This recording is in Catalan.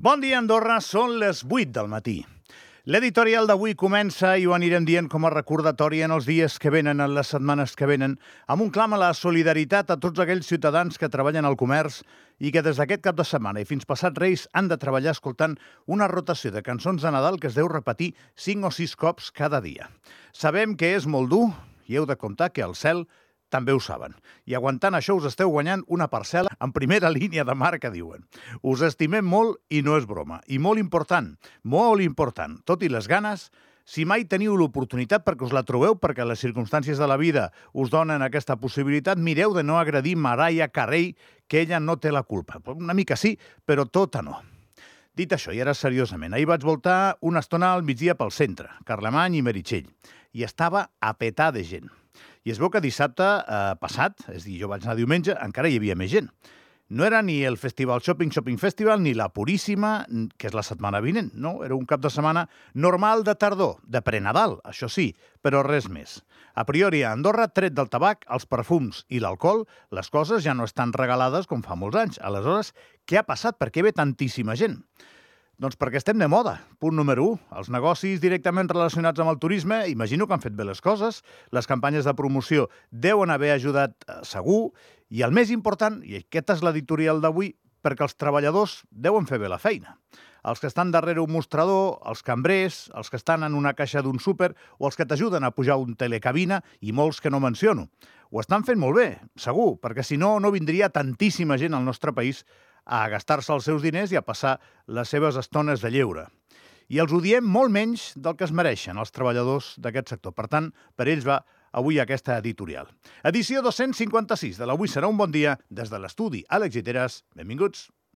Bon dia, Andorra. Són les 8 del matí. L'editorial d'avui comença i ho anirem dient com a recordatori en els dies que venen, en les setmanes que venen, amb un clam a la solidaritat a tots aquells ciutadans que treballen al comerç i que des d'aquest cap de setmana i fins passat Reis han de treballar escoltant una rotació de cançons de Nadal que es deu repetir 5 o 6 cops cada dia. Sabem que és molt dur i heu de comptar que al cel també ho saben. I aguantant això us esteu guanyant una parcel·la en primera línia de mar, que diuen. Us estimem molt i no és broma. I molt important, tot i les ganes, si mai teniu l'oportunitat perquè us la trobeu, perquè les circumstàncies de la vida us donen aquesta possibilitat, mireu de no agredir Mariah Carey, que ella no té la culpa. Una mica sí, però tota no. Dit això, i ara seriosament, ahir vaig voltar una estona al migdia pel centre, Carlemany i Meritxell, i estava a petar de gent. I es veu que dissabte passat, és a dir, jo vaig anar diumenge, encara hi havia més gent. No era ni el Festival Shopping Festival ni la Puríssima, que és la setmana vinent, no? Era un cap de setmana normal de tardor, de prenadal, això sí, però res més. A priori, a Andorra, tret del tabac, els perfums i l'alcohol, les coses ja no estan regalades com fa molts anys. Aleshores, què ha passat? Per què ve tantíssima gent? Doncs perquè estem de moda. Punt número 1. Els negocis directament relacionats amb el turisme, imagino que han fet bé les coses, les campanyes de promoció deuen haver ajudat segur, i el més important, i aquesta és l'editorial d'avui, perquè els treballadors deuen fer bé la feina. Els que estan darrere un mostrador, els cambrers, els que estan en una caixa d'un súper o els que t'ajuden a pujar un telecabina i molts que no menciono. Ho estan fent molt bé, segur, perquè si no, no vindria tantíssima gent al nostre país a gastar-se els seus diners i a passar les seves estones de lleure. I els odiem molt menys del que es mereixen els treballadors d'aquest sector. Per tant, per ells va avui aquesta editorial. Edició 256 de l'Avui serà un bon dia des de l'estudi Àlex Giteres. Benvinguts.